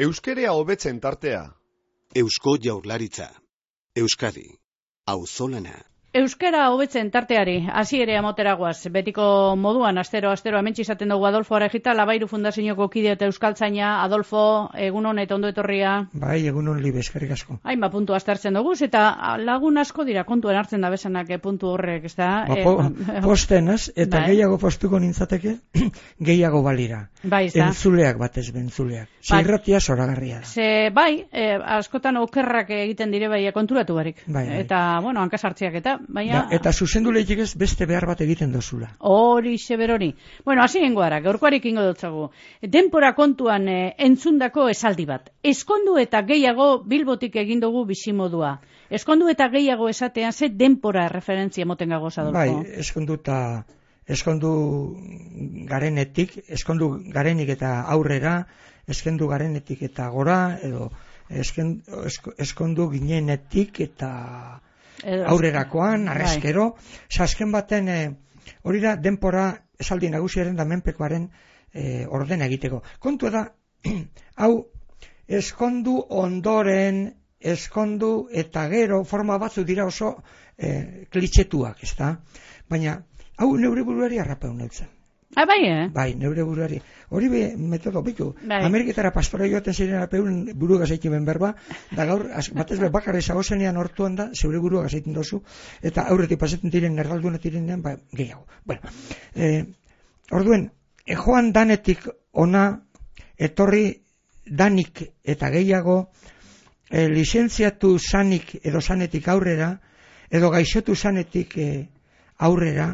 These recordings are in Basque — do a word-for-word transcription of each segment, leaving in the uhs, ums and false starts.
Euskerea hobetzen tartea. Eusko Jaurlaritza. Euskadi. Auzolana. Euskara hobetzen tarteari, hasi ere amoteragoaz, betiko moduan, astero, astero, hementsi izaten dugu Adolfo Arejita, Labairu Fundazioko kide eta euskaltzaina. Adolfo, egunon eta ondo etorria. Bai, egunon libe, eskerrik asko. Hainba puntu aztertzen dugu, eta lagun asko dira kontuen hartzen da bezanak puntu horrek, ez da? Ba, po, eh, postenaz, eta bai. Gehiago postuko nintzateke, gehiago balira. Bai, ez da? Entzuleak batez, bentzuleak. Zirratia zoragarria da. Ze, bai, eh, askotan okerrak egiten dire bai konturatu barik. Bai, bai. Eta, bueno, hankasartziak eta, baina... Da, eta zuzendu lehik ez beste behar bat egiten dozula. Hori, seberori. Bueno, hasi gengoara, gaurkoarik ingo dutzagu. Denpora kontuan eh, entzundako esaldi bat. Eskondu eta gehiago Bilbotik egin dugu bizimodua. Eskondu eta gehiago esatean ze denpora referentzia moten gagoz, Adolfo? Bai, eskondu eta eskondu garenetik, eskondu garenik eta aurrera, eskondu garenetik eta gora, edo eskendu, eskondu ginenetik eta... aurrerakoan, arrezkero, sasken baten, e, hori da denpora esaldi nagusiaren da menpekoaren e, ordena egiteko. Kontua da, hau, eskondu ondoren, eskondu eta gero, forma batzu dira oso e, klitxetuak, ez da? Baina, hau neure buruari harrapeu neutzen. Ah, bai, eh? Bai, neure buruari. Hori be, metodo, bitu. Bai. Ameriketara pastora joaten ziren apeun buru gazaikimen berba, da gaur, batez be, bakarri zagozenean hortuan da, zeure burua gazaitin dozu, eta aurretik pasetzen diren, nerdaldunak direnean, ba, gehiago. Bueno, eh, orduen, e, joan danetik ona, etorri danik eta gehiago, e, lizentziatu zanik edo zanetik aurrera, edo gaixotu zanetik e, aurrera,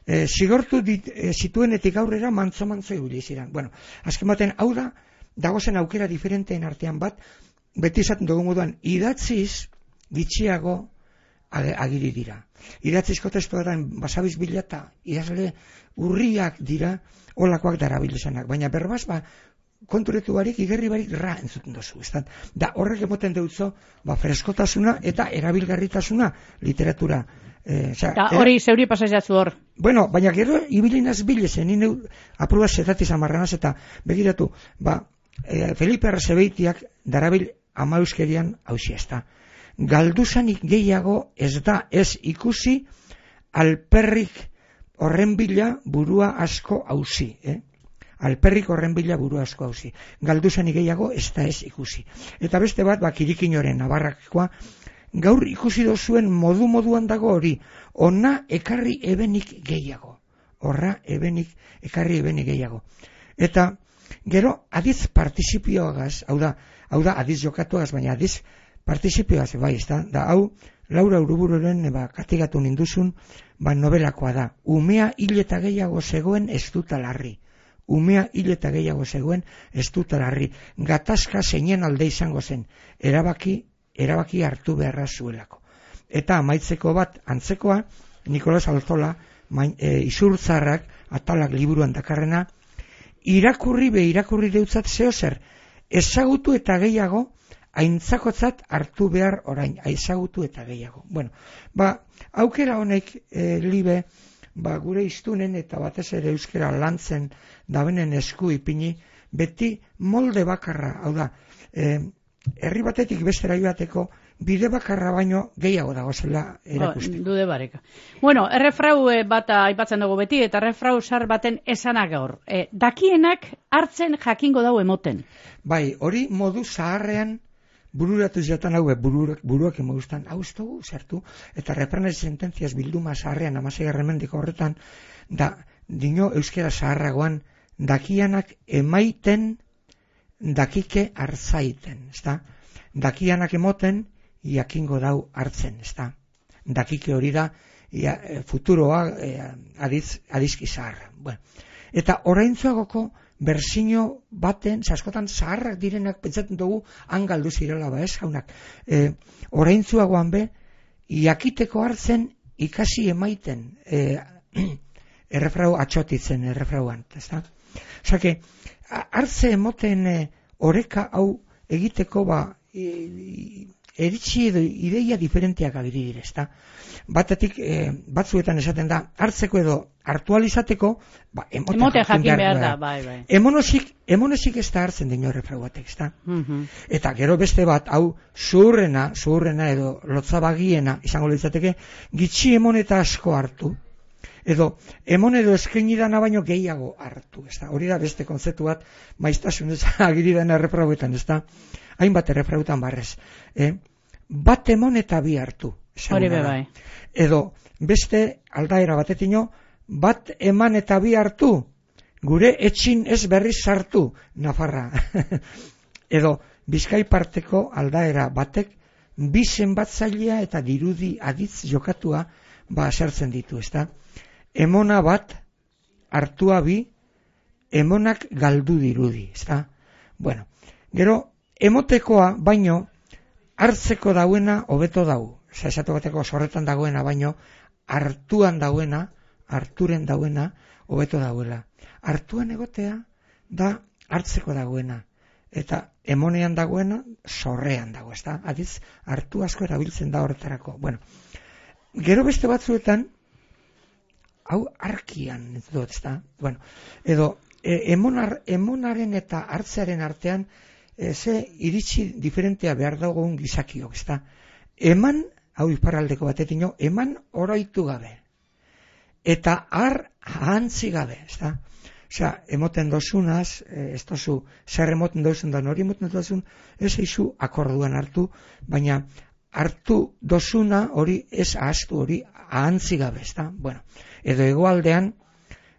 E, zigortu dit, e, zituenetik aurrera mantzo-mantzo ibili ziren. Bueno, azken baten, hau da, dagozen aukera diferenteen artean bat, beti izaten dugu moduan, idatziz gitxiago agiri dira. Idatzizko testuaren basabiz bilata, idazle urriak dira, olakoak darabilezanak. Baina berbaz, ba, konturetu barik, igerri barik ra entzuten dozu. Estan? Da, horrek emoten deutzo, ba, freskotasuna eta erabilgarritasuna literatura. Eh, eta hori zeuri pasaiatzu hor. Bueno, baina gero ibilinaz bilezen, nire apruba zetatiz amarranaz eta begiratu, ba, e, Felipe Arrazebeitiak darabil ama euskerian hausia ez da. Galduzanik gehiago ez da ez ikusi alperrik horren bila burua asko hausi, eh? Alperrik horren bila burua asko hausi. Galduzanik gehiago ez da ez ikusi. Eta beste bat, ba, Kirikinoren nabarrakoa, gaur ikusi dozuen modu-moduan dago hori, ona ekarri ebenik gehiago. Horra ebenik, ekarri ebenik gehiago. Eta gero adiz partizipioagaz, hau da, hau da adiz jokatuagaz, baina adiz partizipioagaz, bai, ez da, da hau, Laura Urubururen ba, katigatu ninduzun, ba, nobelakoa da. Umea hil eta gehiago zegoen ez duta larri. Umea hil eta gehiago zegoen ez duta larri. Gatazka zeinen alde izango zen, erabaki erabaki hartu beharra zuelako. Eta amaitzeko bat antzekoa, Nikolas Alzola, main, e, izurtzarrak, atalak liburuan dakarrena, irakurri be irakurri deutzat zeo zer, ezagutu eta gehiago, aintzakotzat hartu behar orain, ezagutu eta gehiago. Bueno, ba, aukera honek e, libe, ba, gure iztunen eta batez ere euskera lantzen dabenen esku ipini, beti molde bakarra, hau da, e, herri batetik bestera joateko bide bakarra baino gehiago dagozela erakusteko. Oh, dude bareka. Bueno, errefrau bat aipatzen dugu beti, eta errefrau sar baten esanak gaur. E, dakienak hartzen jakingo dau emoten. Bai, hori modu zaharrean bururatu ziotan hau, buruak, buruak emagustan, hau ez dugu zertu, eta reprenez sententziaz bilduma zaharrean, amaseigarren mendiko horretan, da, dino euskera zaharragoan, dakianak emaiten dakike hartzaiten, ezta? Dakianak emoten, jakingo dau hartzen, ezta? Dakike hori da, ia, futuroa e, adiz, adizki zaharra. Bueno. Eta oraintzuagoko berzino baten, askotan zaharrak direnak pentsatzen dugu hangaldu zirela, ba ez jaunak. E, oraintzuagoan be, jakiteko hartzen ikasi emaiten, e, errefrau atxotitzen errefrauan, ezta? Osake, hartze emoten e, oreka hau egiteko ba, e, eritzi edo ideia diferenteak agiri dire, ezta? Batetik, eh, batzuetan esaten da, hartzeko edo hartualizateko, ba, emote, Emote jakin jakin behar da. da, bai, bai. Emonozik, emonozik ez da hartzen dino errefrau batek, ezta? Mhm. Eta gero beste bat, hau zuhurrena, zuhurrena edo lotzabagiena, izango litzateke, gitxi emon eta asko hartu, edo emon edo eskaini dana baino gehiago hartu, ezta? Hori da beste kontzeptu bat, maiztasun ez agiri dena errefrauetan, ezta? Hainbat errefrauetan barrez. Eh? Bat emon eta bi hartu. Hori be bai. Edo beste aldaera batetino, bat eman eta bi hartu, gure etxin ez berriz sartu, Nafarra. Edo Bizkai parteko aldaera batek, bi zenbatzailea eta dirudi aditz jokatua ba sartzen ditu, ezta? Emona bat, hartua bi, emonak galdu dirudi, ezta? Bueno, gero, emotekoa baino, hartzeko dauena hobeto dau. Osa, esatu bateko sorretan dagoena baino, hartuan dauena, harturen dauena, hobeto dauela. Hartuan egotea da hartzeko dagoena. Eta emonean dagoena, sorrean dago, ezta? Adiz, hartu asko erabiltzen da horretarako. Bueno, gero beste batzuetan, hau arkian, ez dut, ezta? Bueno, edo, e, emonar, emonaren eta hartzearen artean, e, ze iritsi diferentea behar dagoen gizakiok, ezta? Eman, hau iparraldeko batetino, eman oroitu gabe. Eta har ahantzi gabe, ezta? Osea, emoten dozunaz, ez dozu, zer emoten dozun da, nori emoten dozun, ez eizu akorduan hartu, baina hartu dozuna hori ez ahaztu hori ahantzi gabe, ezta? Bueno, edo hegoaldean,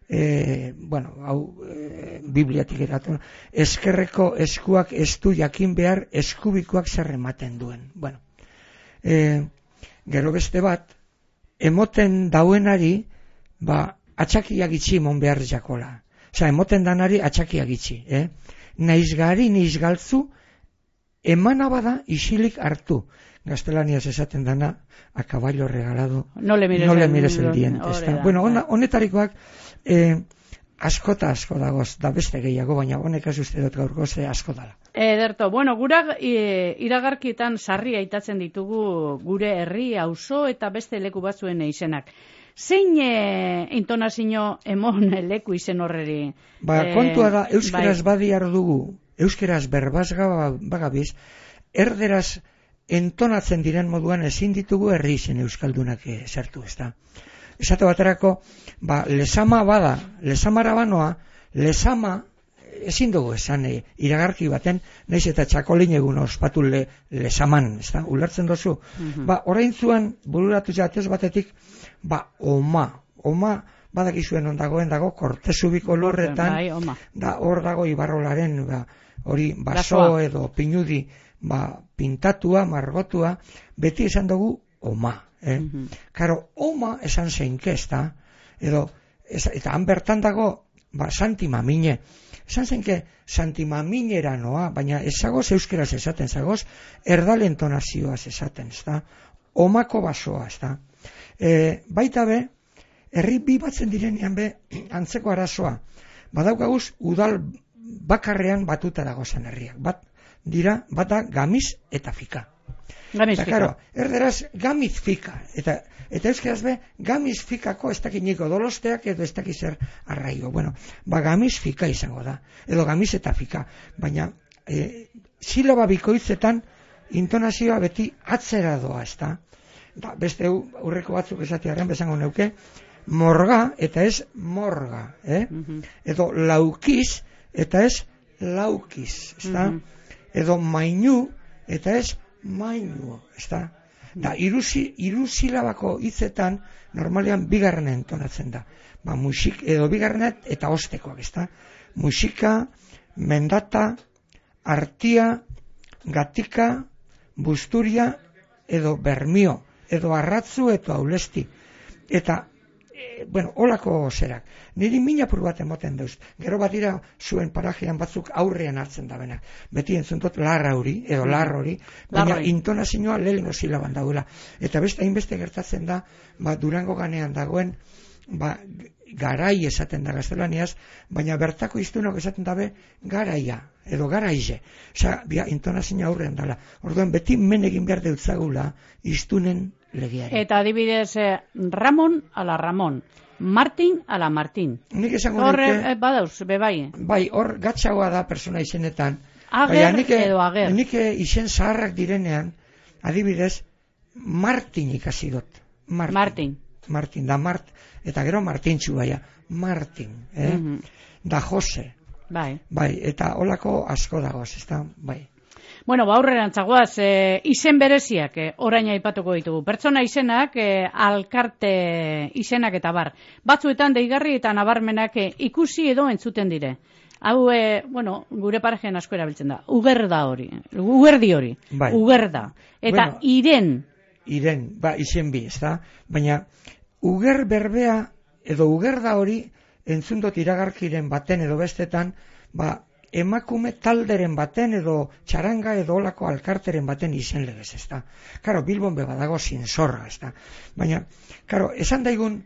e, bueno, hau e, bibliatik eratu, eskerreko eskuak ez du jakin behar eskubikoak zer ematen duen. Bueno, e, gero beste bat, emoten dauenari, ba, atxakiak itxi mon behar jakola. Osa, emoten danari atxakiak itxi, eh? Naiz gari, naiz galtzu, emana bada isilik hartu. Gaztelaniaz esaten dana, a caballo regalado, no le mires, no le el, mires el diente. Da, bueno, da. honetarikoak, eh, askota asko dagoz, da beste gehiago, baina honek ez uste dut gaurko ze asko dala. Ederto, bueno, gura e, iragarkietan sarri aitatzen ditugu gure herri, auzo eta beste leku batzuen izenak. Zein e, intonazio emon leku izen horreri? Ba, e, kontua da, euskeraz bai. badiar dugu, euskeraz berbazga bagabiz, erderaz entonatzen diren moduan ezin ditugu herri izen euskaldunak sartu, ezta. Esate baterako, ba, lesama bada, lesamara banoa, lesama ezin dugu esan e, iragarki baten, naiz eta txakolin egun ospatu le, lesaman, ezta, ulertzen dozu. Mm-hmm. Ba, orain zuan, bururatu jatez batetik, ba, oma, oma badakizuen ondagoen dago, kortezubiko lurretan, bai, oma. Da, hor dago ibarrolaren, ba, hori baso Lasoa. edo pinudi, ba, pintatua, margotua, beti esan dugu oma. Eh? Mm-hmm. Karo, oma esan zeinke, ezta, edo, ez, eta han bertan dago, ba, Santi Mamine, esan zeinke Santi Maminera noa, baina ezagoz euskeraz esaten, zagoz erdalentonazioaz esaten, ezta, omako basoa, ezta. E, baita be, herri bi batzen direnean be, antzeko arazoa, badaukaguz udal bakarrean batuta dagozen herriak, bat dira, bata gamiz eta fika. Gamiz eta, fika. Karo, erderaz gamiz fika, eta, eta euskeraz be, gamiz fikako ez dakiniko dolosteak edo ez dakizer arraigo. Bueno, ba gamiz fika izango da, edo gamiz eta fika, baina e, silaba bikoitzetan intonazioa beti atzera doa, ez da? Da, beste urreko batzuk esatearen bezango neuke, morga eta ez morga, eh? Mm-hmm. Edo laukiz eta ez laukiz, ez da? Mm-hmm. Edo mainu eta ez mainu, ez da? Da, irusi, irusilabako hitzetan normalean bigarren entonatzen da. Ba, musik, edo bigarrenet eta ostekoak, ez da? Musika, mendata, artia, gatika, busturia, edo bermio, edo arratzu, edo aulesti. Eta, e, bueno, holako zerak. Niri minapur bat emoten dauz. Gero bat dira zuen parajean batzuk aurrean hartzen da benak. Beti entzuntot larra hori, edo larra hori, baina Larroi. intonazioa lehengo silaban dagoela. Eta beste hainbeste gertatzen da, ba, Durango ganean dagoen, ba, garai esaten da gaztelaniaz, baina bertako iztunok esaten dabe garaia, edo garaize. Osea, bia, intonazioa aurrean dela. Orduan, beti men egin behar deutzagula iztunen legeari. Eta adibidez, eh, Ramon ala Ramon, Martin ala Martin. Nik esango Horre, nuke, eh, badauz, bebai. bai, hor gatzagoa da persona izenetan. Ager nik, edo ager. Nik izen zaharrak direnean, adibidez, Martin ikasi dut. Martin. Martin. Martin, da Mart, eta gero Martintxu baia. Martin, eh? Mhm. Da Jose. Bai. Bai, eta holako asko dagoz, ezta? Bai. Bueno, ba, aurrerantzagoaz, e, izen bereziak e, orain aipatuko ditugu. Pertsona izenak, e, alkarte izenak eta bar. Batzuetan deigarri eta nabarmenak e, ikusi edo entzuten dire. Hau, e, bueno, gure parejen asko erabiltzen da. Ugerda hori. Ugerdi hori. Bai. Ugerda. Eta Bueno, iren. Iren, ba, izen bi, ezta? Baina, uger berbea edo ugerda hori entzundot iragarkiren baten edo bestetan, ba, emakume talderen baten edo txaranga edo olako alkarteren baten izen legez, ezta? Karo, Bilbon beba dago zinzorra, ezta? Baina, karo, esan daigun,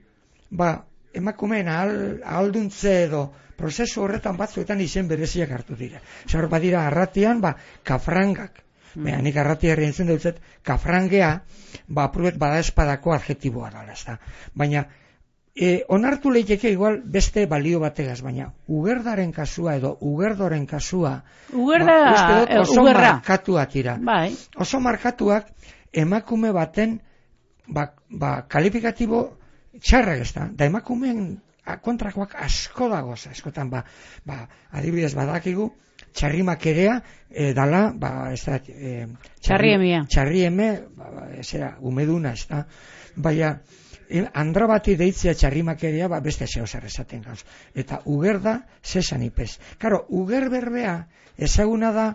ba, emakumeen ahal, ahalduntze edo prozesu horretan batzuetan izen bereziak hartu dira. Zer badira arratian, ba, kafrangak. Mm. Baina, nik arratia herri entzun dutzet, kafrangea, ba, apruet bada espadako adjetiboa dala, ezta? Baina, E, onartu leiteke igual beste balio bategaz, baina ugerdaren kasua edo ugerdoren kasua Ugerda, ba, uste dut oso ugerra. markatuak dira. Bai. Oso markatuak emakume baten ba, ba, kalifikatibo txarrak ez da. Da emakumeen kontrakoak asko dagoz, askotan ba, ba, adibidez badakigu txarrimakerea e, dala, ba, ez da, e, Txarriemia. Txarrieme, ba, ba, ezera, umeduna, ez da. Baina, andra bati deitzea txarrimakeria, ba, beste zeo zer esaten gauz. Eta ugerda, zesan ipez. Karo, uger berbea, ezaguna da,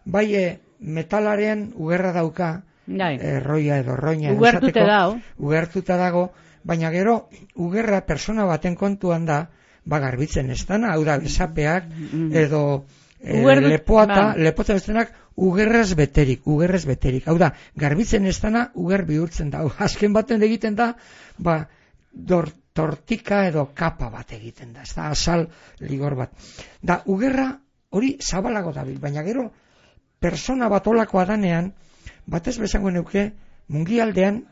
bai e, metalaren ugerra dauka, e, roia edo roina. Ugertute dao. Ugertuta dago, baina gero, ugerra persona baten kontuan da, ba, garbitzen ez dana, hau da, besapeak, edo e, lepoata, ba. Lepota bestenak, ugerraz beterik, ugerraz beterik. Hau da, garbitzen ez dana, uger bihurtzen da. Azken baten egiten da, ba, dor, tortika edo kapa bat egiten da. Ez da, asal ligor bat. Da, ugerra hori zabalago dabil, baina gero, persona bat olakoa danean, batez bezango neuke, mungialdean,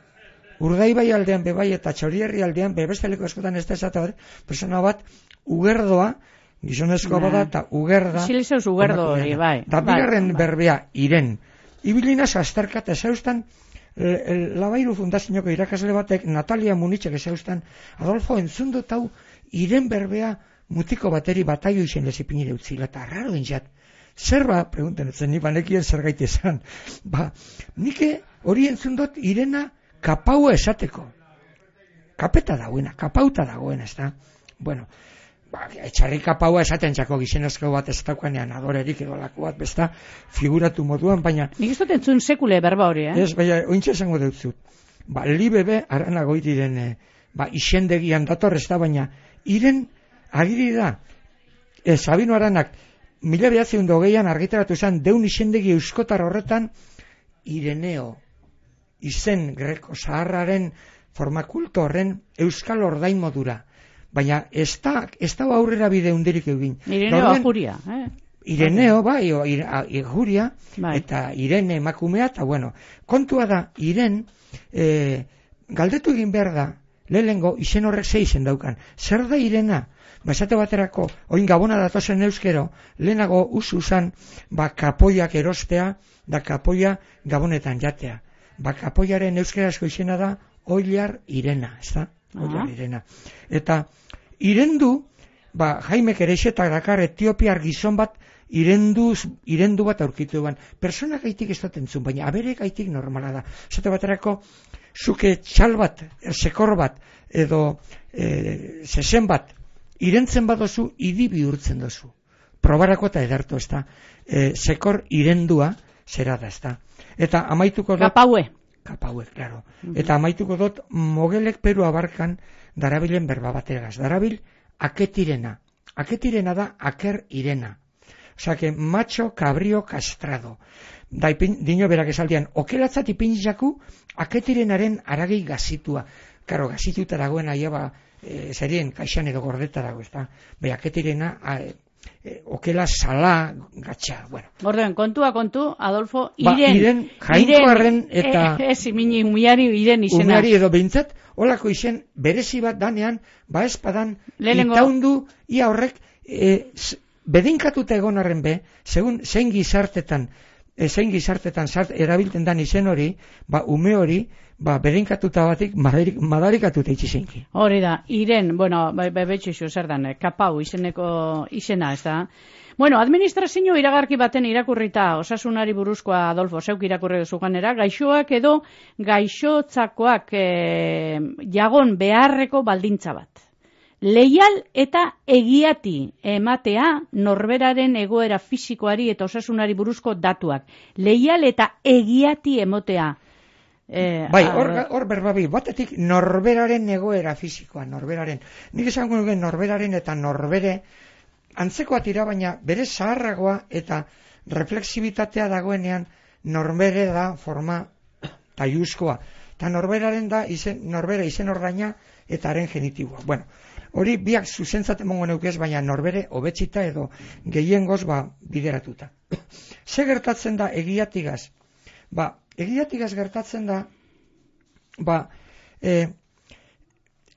Urdaibai aldean bebai eta Txorierri aldean, bebesteleko eskotan ez da esate bat, persona bat, ugerdoa, gizonezkoa bada eta ugerda. Zilizeuz ugerdo hori, bai. Da bigarren berbea, iren. Ibilinaz azterkat ezaustan, Labairu Fundazioko irakasle batek, Natalia Munitxek ezaustan, Adolfo entzundot hau, iren berbea mutiko bateri bataio izen lezipinire utzila, eta raro dintzat. Zer ba, pregunten etzen, ni banekien zer gaite esan. Ba, nike hori entzundot irena kapaua esateko. Kapeta dagoena, kapauta dagoena, ez da? Bueno, ba, etxarri kapaua esaten txako gizenezko bat ez daukanean adorerik edo lako bat, besta, figuratu moduan, baina... Nik ez dut entzun sekule berba hori, eh? Ez, baina, ointxe esango dut zut. Ba, li bebe, arana goitiren, ba, isendegian dator ez da, baina, iren, agiri da, e, Sabino Aranak, mila behatzeun dogeian argitaratu zen, deun isendegi euskotar horretan, Ireneo, izen greko zaharraren formakulto horren euskal ordain modura. Baina ez da, ez da aurrera bide hundirik egin. Ireneo ajuria, eh? Ireneo, bai, o, ir, a, ajuria, bai. Eta Irene emakumea, eta bueno, kontua da, Iren, e, galdetu egin behar da, lehengo izen horrek ze izen daukan. Zer da Irena? Ba, esate baterako, oin gabona datozen euskero, lehenago usu zan, ba, kapoiak erostea, da kapoia gabonetan jatea. Ba, kapoiaren euskarazko izena da, Oilar Irena, ez da? Oilar Irena. Eta, irendu, ba, Jaimek Ereixetak dakar etiopiar gizon bat, irendu, irendu bat aurkitu eban. Persona gaitik ez dut entzun, baina abere gaitik normala da. Esate baterako, zuke txal bat, sekor bat, edo e, zesen bat, irentzen badozu, idi bihurtzen dozu. Probarako eta edartu, ez da? E, sekor irendua, zera da, ez da? Eta amaituko dut... Kapaue. Kapaue, claro. Mm-hmm. Eta amaituko dut, mogelek Peru abarkan darabilen berba bategaz. Darabil, aketirena. Aketirena da, aker irena. Osa, que macho cabrio castrado. Da, ipin, dino berak esaldian, okelatzat ipinitzaku, aketirenaren aragi gazitua. karo, gazituta dagoen aia, ba, e, zerien kaixan edo gordeta dago, ez da, behaketirena, e, okela sala gatxa, bueno. Orduen, kontua kontu, Adolfo, Ba, iren, iren jainkoarren eta e, ez imini umiari iren izena. Umiari edo behintzat, olako izen berezi bat danean, ba espadan Lehenengo- itaundu, ia horrek, e, s- bedinkatuta egon arren be, segun zein gizartetan, e, zein gizartetan zart, erabilten dan izen hori, ba ume hori, ba bedinkatuta batik madarik, madarikatuta itxizeinki. Hori da, iren, bueno, bai, bai, betxixu, zer dan, eh, kapau izeneko izena, ez da. Bueno, administrazio iragarki baten irakurrita osasunari buruzkoa, Adolfo, zeuk irakurri duzu ganera, gaixoak edo gaixotzakoak e, jagon beharreko baldintza bat. Leial eta egiati ematea norberaren egoera fisikoari eta osasunari buruzko datuak. Leial eta egiati emotea. Eh, Bai, a- hor, hor berbabi, batetik norberaren egoera fisikoa, norberaren. Nik esango nuke norberaren eta norbere antzekoa tira, baina bere zaharragoa eta reflexibitatea dagoenean norbere da forma taiuzkoa. Eta norberaren da izen, norbere izen ordaina eta haren genitiboa. Bueno, hori biak zuzentzat emongo neukez, baina norbere hobetsita edo gehiengoz ba bideratuta. Ze gertatzen da egiatigaz? Ba, egiatigaz gertatzen da, ba, eh,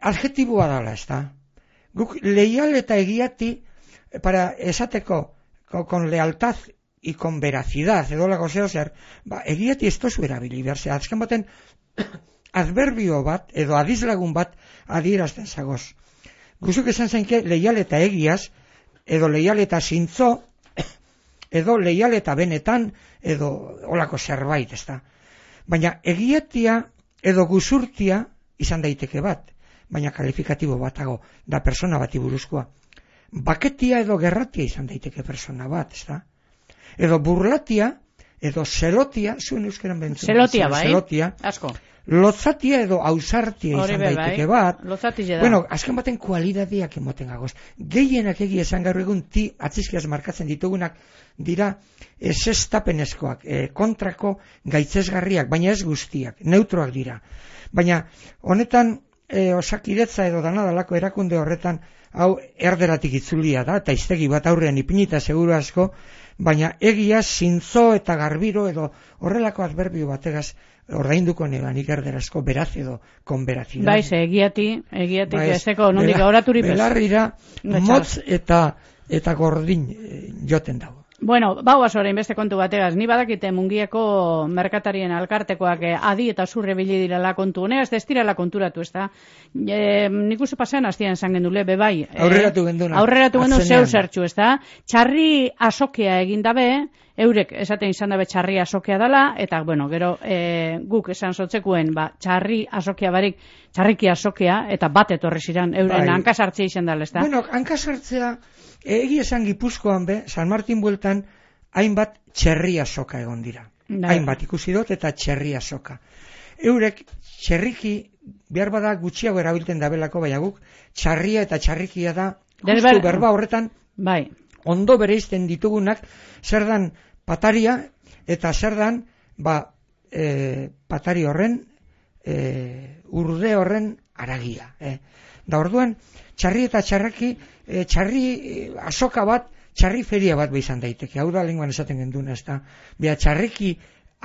adjetiboa dala, ez da? Guk leial eta egiati, para esateko, con, con lealtad y con veracidad, edo lago zeo zer, ba, egiati ez tozu erabili, berze, azken baten, adverbio bat, edo adizlagun bat, adierazten zagoz. Guzuk esan zenke, leial eta egiaz, edo leial eta zintzo, edo leial eta benetan, edo olako zerbait, ez da. Baina egiatia edo guzurtia izan daiteke bat, baina kalifikatibo batago, da persona bati buruzkoa. Baketia edo gerratia izan daiteke persona bat, ez da. Edo burlatia, edo zelotia, zuen euskeran bentzun. Zelotia, bai, Zelotia. asko. Lotzatia edo ausartia Hori izan be, daiteke bai. bat. Lotzatile da. Bueno, azken baten kualidadiak emoten gagoz. Gehienak egia esan gaur egun ti atzizkiaz markatzen ditugunak dira esestapenezkoak, e, kontrako gaitzesgarriak, baina ez guztiak, neutroak dira. Baina honetan e, osakidetza edo danadalako erakunde horretan hau erderatik itzulia da, eta iztegi bat aurrean ipinita seguru asko, baina egia zintzo eta garbiro edo horrelako adverbio bategaz ordainduko nebanik erderazko beraz edo konberazidad. Bai, ze, egiati, egiatik Ba, ez, ezeko nondik bela- auraturi pez. Belarrira Gatxar. motz eta eta gordin eh, joten dago. Bueno, bauaz orain beste kontu bategaz, ni badakite Mungiako merkatarien alkartekoak eh, adi eta zurre bili dirala kontu honegaz, ez dirala konturatu, ez da. E, nik uste pasean hastian esan gendule, bebai. Eh, Aurreratu genduna. Aurreratu gendun Atzenean. zeu zertxu, ez da. Txarri asokea egin dabe, eurek esaten izan dabe txarri asokea dela, eta, bueno, gero e, guk esan sotzekuen, ba, txarri asokea barik, txarriki asokea, eta bat etorri ziren, euren Bai. hankasartzea izan dela, ez da. Bueno, hankasartzea, egia esan Gipuzkoan be, San Martin bueltan, hainbat txerria soka egon dira. Bai. Hainbat ikusi dut eta txerria soka. Eurek txerriki, behar bada gutxiago erabilten dabelako, baina guk txarria eta txarrikia da, justu Derber- berba horretan, Bai, ondo bereizten ditugunak, zer dan pataria eta zer dan ba, e, patari horren e, urde horren aragia. E. Da orduan, txarri eta txarraki, e, txarri e, azoka bat, txarri feria bat izan daiteke. Hau da lenguan esaten genduna, ez da. Bea, txarriki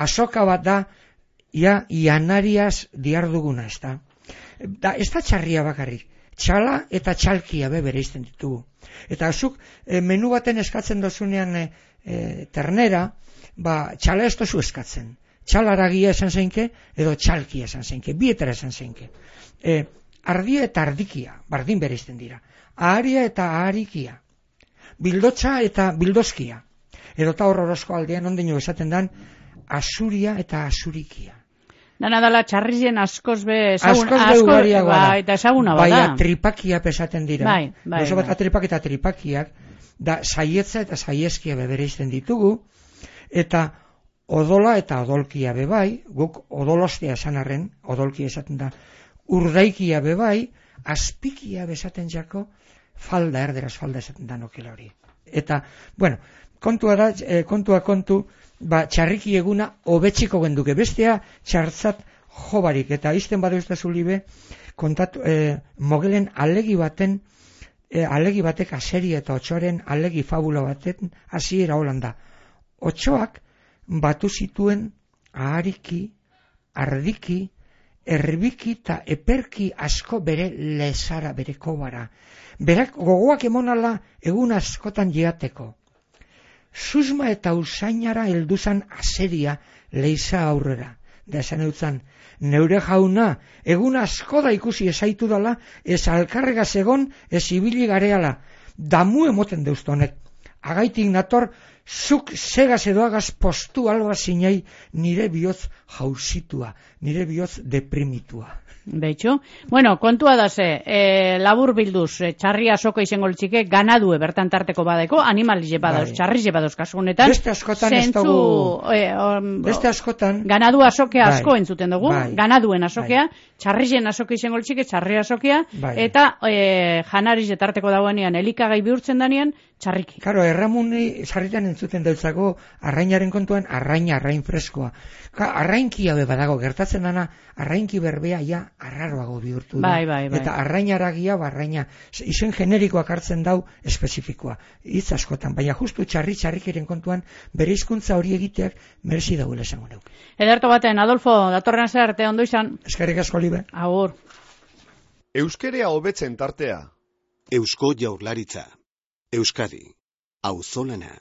azoka bat da, ia, ianariaz diarduguna, ez da. Da, ez da txarria bakarrik. Txala eta txalkia be bereizten ditugu. Eta zuk e, menu baten eskatzen dozunean e, e, ternera, ba, txala ez dozu eskatzen. Txalaragia esan zeinke, edo txalkia esan zeinke, bietara esan zeinke. E, ardia eta ardikia, bardin bereizten dira. Aharia eta aharikia. Bildotza eta bildozkia. Edo eta horrorozko aldean ondino esaten dan, asuria eta asurikia. dana dala txarrizien askoz be ezagun, Askoz be ugariagoa da. bai, eta ezaguna bada. Bai, tripakia pesaten dira. Bai, bai, Gauza bat bai. atripak eta tripakiak, da saietza eta saieskia bebereizten ditugu, eta odola eta odolkia bebai, guk odolostea esan arren, odolkia esaten da, urdaikia bebai, azpikia besaten jako, falda, erderaz falda esaten da nokela hori. Eta, bueno, kontua da, eh, kontua kontu, ba, txarriki eguna hobetsiko genduke, bestea txartzat jobarik, eta izten badu ez da zulibe, kontatu, e, mogelen alegi baten, e, alegi batek aseri eta otxoaren alegi fabula baten hasiera Holanda. Otxoak batu zituen ahariki, ardiki, erbiki eta eperki asko bere lezara, bere kobara. Berak gogoak emonala egun askotan jeateko. Susma eta usainara helduzan aseria leiza aurrera. Da esan eutzan, neure jauna, egun asko da ikusi esaitu dala, ez alkarregaz egon, ez ibili gareala. Damu emoten deustonek. Agaitik nator, zuk segaz edoagaz postu alba zinei nire bihotz jausitua, nire bihotz deprimitua. Beitxu. Bueno, kontua da ze, e, labur bilduz, e, txarria soko izango litzike, ganadue bertan tarteko badeko, animalize badoz, bai. Txarrize badoz kasugunetan. Beste askotan ez dugu... E, um, Beste askotan... Ganadu asokea asko bai. entzuten dugu, bai. ganaduen asokea, bai. txarrizen asoke izango litzike, txarri asokea, bai. eta e, janarize tarteko dagoenean, elikagai bihurtzen danean, txarriki. Karo, erramuni sarritan entzuten dautzago arrainaren kontuan, arraina, arrain freskoa. Ka, arrainki haue badago, gertatzen dana, arrainki berbea ja arraroago bihurtu da. Bai, bai, bai. Eta arrainaragia, arraina, izen generikoak hartzen dau espezifikoa. Hitz askotan, baina justu txarri txarrikiren kontuan, bere hizkuntza hori egiteak merezi dauela esango neuk. Ederto baten, Adolfo, datorren zer arte ondo izan. Eskerrik asko, Libe. Agur. Euskerea hobetzen tartea. Eusko Jaurlaritza. Euskadi. Auzolana.